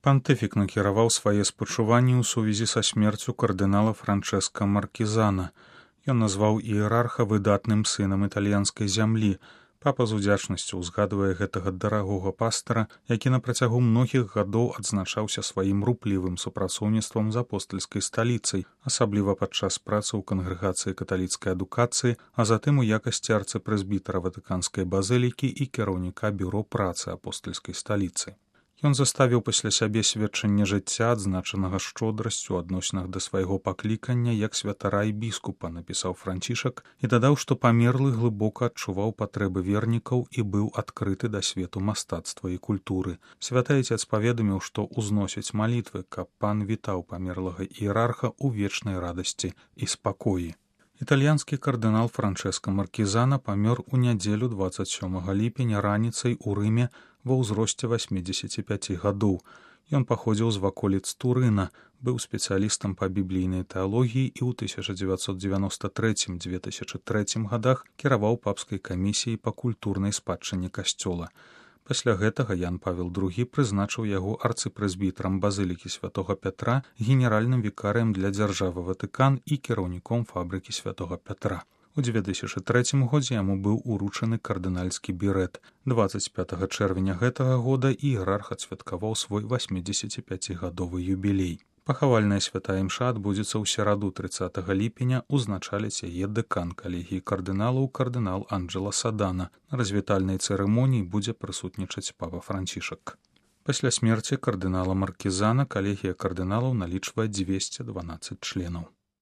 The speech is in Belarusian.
Пантыфік накіраваў свае спачуванні ў сувязі са смерцю кардынала Франчэска Маркізана. Ён назваў іерарха выдатным сынам італьянскай зямлі. Папа з удзячнасцю ўзгадвае гэтага дарагога пастара, які на працягу многіх гадоў адзначаўся сваім руплівым супрацоўніцтвам з апостальскай сталіцай, асабліва падчас працы ў кангрэгацыі каталіцкай адукацыі, а затым у якасці арцыпрэзбітара Ватыканскай базылікі і кіраўніка бюро працы апостальскай сталіцы. Ён заставіў пасля сябе сведчанне жыцця, адзначанага шчодрасцю у адносінах да свайго паклікання як святара і біскупа, напісаў Францішак, і дадаў, што памерлы глыбока адчуваў патрэбы вернікаў і быў адкрыты да свету мастацтва і культуры. Святы Айцец паведаміў, што ўзносіць малітвы, каб пан вітаў памерлага іерарха ў вечнай радасці і спакоі. Італьянскі кардынал Франчэска Маркізана памёр у нядзелю 27 ліпеня раніцай у Рыме ва ўзросце 85 гадоў. Ён паходзіў з ваколіц Турына, быў спецыялістам па біблійнай тэалогіі і ў 1993-2003 гадах кіраваў папскай камісіяй па культурнай спадчыне касцёла. Пасля гэтага Ян Павел II прызначыў яго арцыпрэзбітарам базылікі святога Пятра, генеральным вікарыем для дзяржавы Ватыкан і кіраўніком фабрыкі святога Пятра. У 2003 годзе яму быў уручаны кардынальскі бірэт. 25 чэрвеня гэтага года іерарх адсвяткаваў свой 85-гадовы юбілей. Пахавальная святая імша адбудзецца ў сераду 30 ліпеня, узначаліць яе дэкан калегіі кардыналаў кардынал Анджела Садана. На развітальнай цырымоніі будзе прысутнічаць папа Францішак. Пасля смерці кардынала Маркізана калегія кардыналаў налічвае 212 членаў.